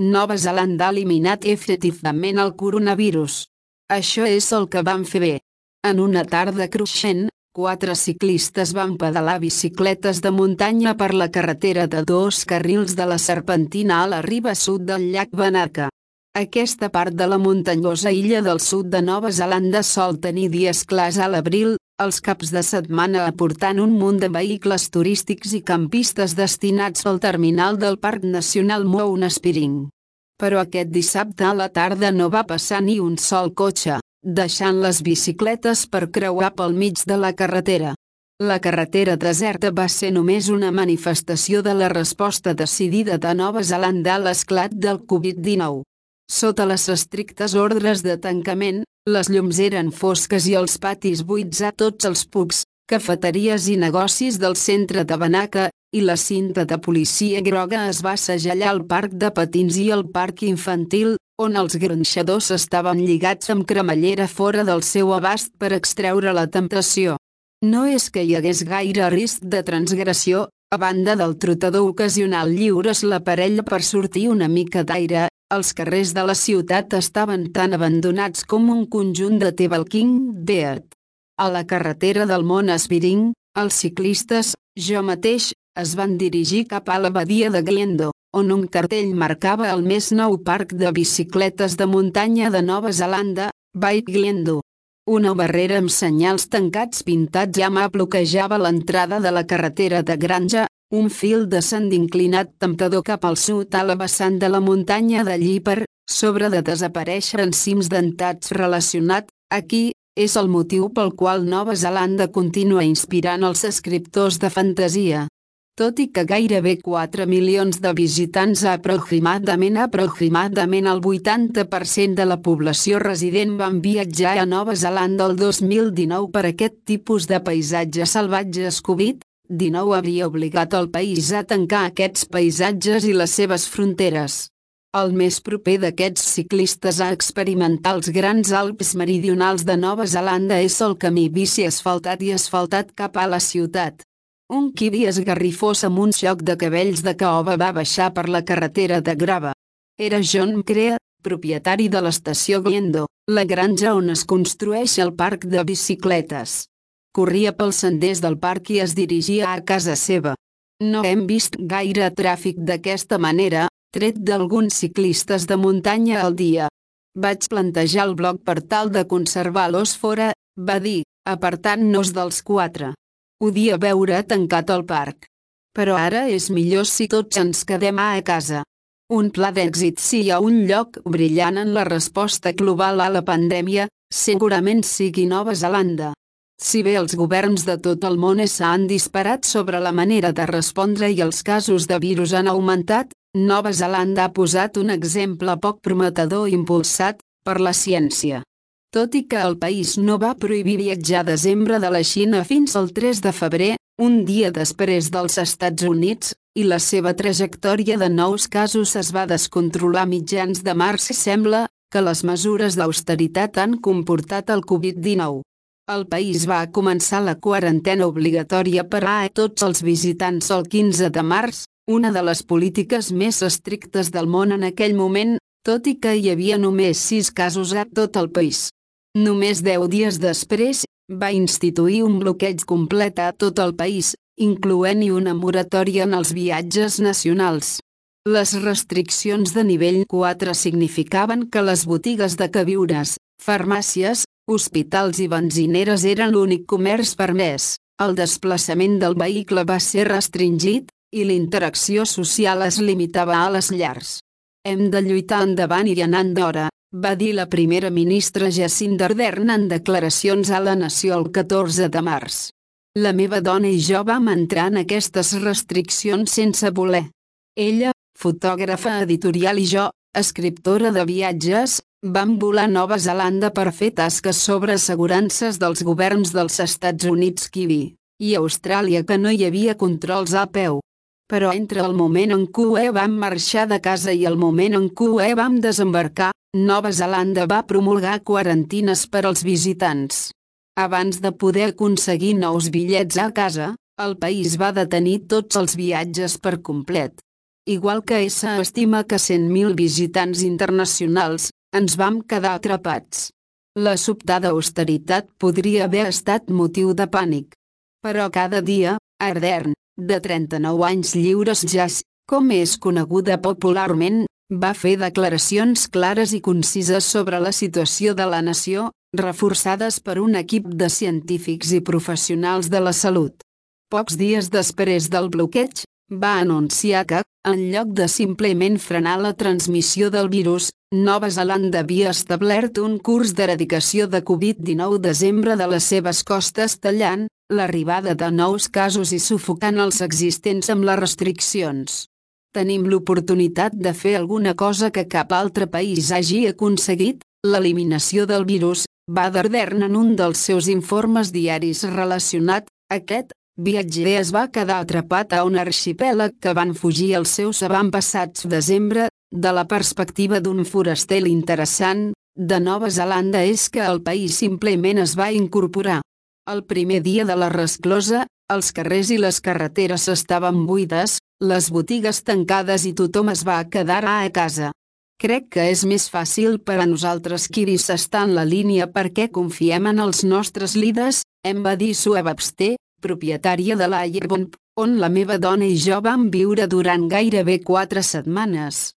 Nova Zelanda ha eliminat efectivament el coronavirus. Això és el que van fer bé. En una tarda cruixent, 4 ciclistes van pedalar bicicletes de muntanya per la carretera de 2 carrils de la Serpentina a la riba sud del llac Wanaka. Aquesta part de la muntanyosa illa del sud de Nova Zelanda sol tenir dies clars a l'abril, els caps de setmana aportant un munt de vehicles turístics i campistes destinats al terminal del Parc Nacional Mount Spiring. Però aquest dissabte a la tarda no va passar ni un sol cotxe, deixant les bicicletes per creuar pel mig de la carretera. La carretera deserta va ser només una manifestació de la resposta decidida de Nova Zelanda a l'esclat del Covid-19. Sota les estrictes ordres de tancament, les llums eren fosques i els patis buits a tots els pubs, cafeteries i negocis del centre de Wanaka, i la cinta de policia groga es va segellar al parc de patins i al parc infantil, on els gronxadors estaven lligats amb cremallera fora del seu abast per extreure la temptació. No és que hi hagués gaire risc de transgressió, a banda del trotador ocasional lliures la parella per sortir una mica d'aire. Els carrers de la ciutat estaven tan abandonats com un conjunt de The Walking Dead. A la carretera del Mount Spiring, els ciclistes, jo mateix, es van dirigir cap a la badia de Glendo, on un cartell marcava el més nou parc de bicicletes de muntanya de Nova Zelanda, Bike Glendo. Una barrera amb senyals tancats pintats ja bloquejava l'entrada de la carretera de granja, un fil descens inclinat temptador cap al sud a la vessant de la muntanya d'allí per sobre de desaparèixer en cims dentats relacionat. Aquí és el motiu pel qual Nova Zelanda continua inspirant els escriptors de fantasia. Tot i que gairebé 4 milions de visitants aproximadament el 80% de la població resident van viatjar a Nova Zelanda el 2019 per aquest tipus de paisatges salvatges. Covid-19 havia obligat el país a tancar aquests paisatges i les seves fronteres. El més proper d'aquests ciclistes a experimentar els grans Alps meridionals de Nova Zelanda és el camí bici asfaltat cap a la ciutat. Un kiwi esgarrifós amb un xoc de cabells de caoba va baixar per la carretera de grava. Era John Crea, propietari de l'estació Glendo, la granja on es construeix el parc de bicicletes. Corria pels senders del parc i es dirigia a casa seva. No hem vist gaire tràfic d'aquesta manera, tret d'alguns ciclistes de muntanya al dia. Vaig plantejar el bloc per tal de conservar-los fora, va dir, apartant-nos dels 4. Podia veure tancat el parc. Però ara és millor si tots ens quedem a casa. Un pla d'èxit si hi ha un lloc brillant en la resposta global a la pandèmia, segurament sigui Nova Zelanda. Si bé els governs de tot el món s'han disparat sobre la manera de respondre i els casos de virus han augmentat, Nova Zelanda ha posat un exemple poc prometedor impulsat per la ciència. Tot i que el país no va prohibir viatjar a desembre de la Xina fins al 3 de febrer, un dia després dels Estats Units, i la seva trajectòria de nous casos es va descontrolar a mitjans de març i sembla que les mesures d'austeritat han comportat el Covid-19. El país va començar la quarantena obligatòria per a tots els visitants el 15 de març, una de les polítiques més estrictes del món en aquell moment, tot i que hi havia només 6 casos a tot el país. Només 10 dies després, va instituir un bloqueig complet a tot el país, incloent-hi una moratòria en els viatges nacionals. Les restriccions de nivell 4 significaven que les botigues de queviures, farmàcies, hospitals i benzineres eren l'únic comerç permès, el desplaçament del vehicle va ser restringit, i l'interacció social es limitava a les llars. Hem de lluitar endavant i anant d'hora, va dir la primera ministra Jacinda Ardern en declaracions a la nació el 14 de març. La meva dona i jo vam entrar en aquestes restriccions sense voler. Ella, fotògrafa editorial i jo, escriptora de viatges, vam volar a Nova Zelanda per fer tasques sobre assegurances dels governs dels Estats Units i Austràlia que no hi havia controls a peu. Però entre el moment en què vam marxar de casa i el moment en què vam desembarcar, Nova Zelanda va promulgar quarantines per als visitants. Abans de poder aconseguir nous bitllets a casa, el país va detenir tots els viatges per complet. Igual que estima que 100.000 visitants internacionals, ens vam quedar atrapats. La sobtada austeritat podria haver estat motiu de pànic. Però cada dia, Ardern, de 39 anys lliures Jazz, com és coneguda popularment, va fer declaracions clares i concises sobre la situació de la nació, reforçades per un equip de científics i professionals de la salut. Pocs dies després del bloqueig, va anunciar que, en lloc de simplement frenar la transmissió del virus, Nova Zelanda havia establert un curs d'eradicació de Covid-19 desembre de les seves costes tallant l'arribada de nous casos i sufocant els existents amb les restriccions. Tenim l'oportunitat de fer alguna cosa que cap altre país hagi aconseguit, l'eliminació del virus, va dir Ardern en un dels seus informes diaris relacionat. Aquest viatger es va quedar atrapat a un arxipèlag que van fugir els seus avantpassats desembre. De la perspectiva d'un foraster interessant de Nova Zelanda és que el país simplement es va incorporar. El primer dia de la resclosa, els carrers i les carreteres estaven buides, les botigues tancades i tothom es va quedar a casa. Crec que és més fàcil per a nosaltres kiwis estar en la línia perquè confiem en els nostres líders, em va dir Sue Webster, propietària de l'Ayerbomb, on la meva dona i jo vam viure durant gairebé 4 setmanes.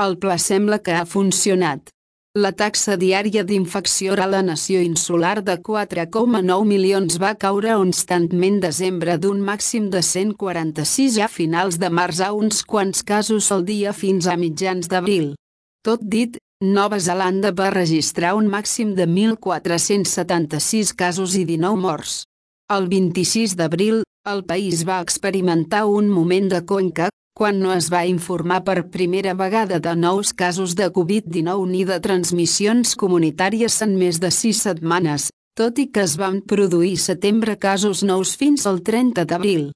El pla sembla que ha funcionat. La taxa diària d'infecció a la nació insular de 4,9 milions va caure constantment desembre d'un màxim de 146 a finals de març a uns quants casos al dia fins a mitjans d'abril. Tot dit, Nova Zelanda va registrar un màxim de 1.476 casos i 19 morts. El 26 d'abril, el país va experimentar un moment de conca, quan no es va informar per primera vegada de nous casos de Covid-19 ni de transmissions comunitàries en més de 6 setmanes, tot i que es van produir setembre casos nous fins al 30 d'abril.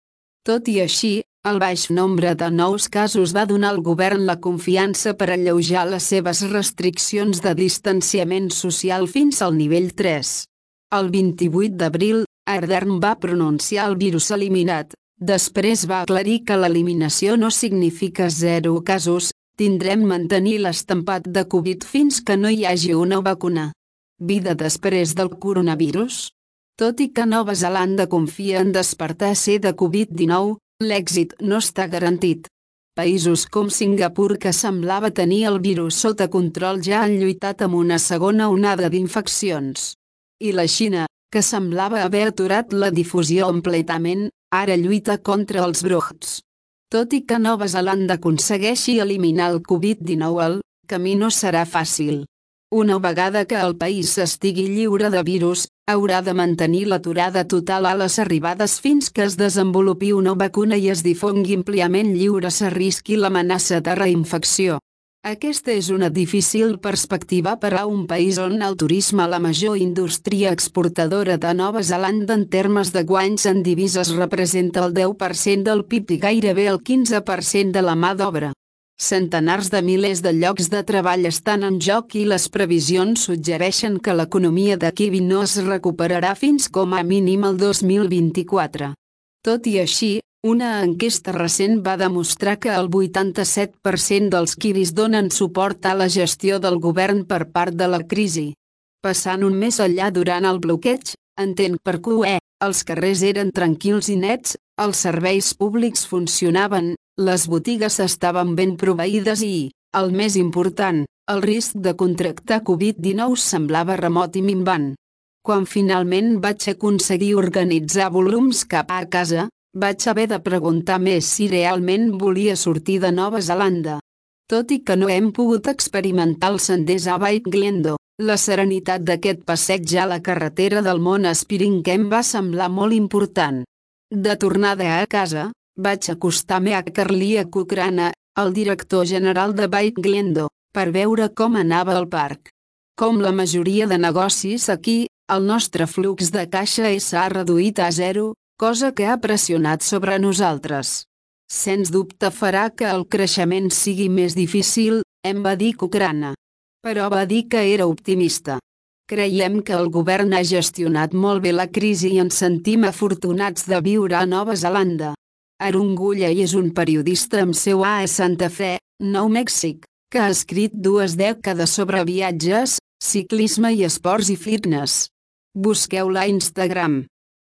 Tot i així, el baix nombre de nous casos va donar al govern la confiança per alleujar les seves restriccions de distanciament social fins al nivell 3. El 28 d'abril, Ardern va pronunciar el virus eliminat. Després va aclarir que l'eliminació no significa 0 casos, tindrem mantenir l'estampat de Covid fins que no hi hagi una vacuna. Vida després del coronavirus? Tot i que Nova Zelanda confia en despertar ser de Covid-19, l'èxit no està garantit. Països com Singapur, que semblava tenir el virus sota control, ja han lluitat amb una segona onada d'infeccions. I la Xina, que semblava haver aturat la difusió completament, ara lluita contra els brots. Tot i que Nova Zelanda aconsegueixi eliminar el Covid-19, el camí no serà fàcil. Una vegada que el país estigui lliure de virus, haurà de mantenir l'aturada total a les arribades fins que es desenvolupi una vacuna i es difongui àmpliament lliure s'arrisqui l'amenaça de reinfecció. Aquesta és una difícil perspectiva per a un país on el turisme, la major indústria exportadora de Nova Zelanda en termes de guanys en divises, representa el 10% del PIB i gairebé el 15% de la mà d'obra. Centenars de milers de llocs de treball estan en joc i les previsions suggereixen que l'economia de kiwi no es recuperarà fins com a mínim el 2024. Tot i així, una enquesta recent va demostrar que el 87% dels kiwis donen suport a la gestió del govern per part de la crisi. Passant un mes enllà durant el bloqueig, entenc per què, els carrers eren tranquils i nets, els serveis públics funcionaven, les botigues estaven ben proveïdes i, el més important, el risc de contractar Covid-19 semblava remot i minvant. Quan finalment vaig aconseguir organitzar volums cap a casa, vaig haver de preguntar més si realment volia sortir de Nova Zelanda. Tot i que no hem pogut experimentar els senders a White Glendo, la serenitat d'aquest passeig a la carretera del Mont Aspiring em va semblar molt important. De tornada a casa, vaig acostar-me a Carlia Cochrane, el director general de White Glendo, per veure com anava el parc. Com la majoria de negocis aquí, el nostre flux de caixa s'ha reduït a 0, cosa que ha pressionat sobre nosaltres. Sens dubte farà que el creixement sigui més difícil, em va dir Cochrane. Però va dir que era optimista. Creiem que el govern ha gestionat molt bé la crisi i ens sentim afortunats de viure a Nova Zelanda. Arungulla és un periodista amb seu a Santa Fe, Nou Mèxic, que ha escrit 2 dècades sobre viatges, ciclisme i esports i fitness. Busqueu-la a Instagram.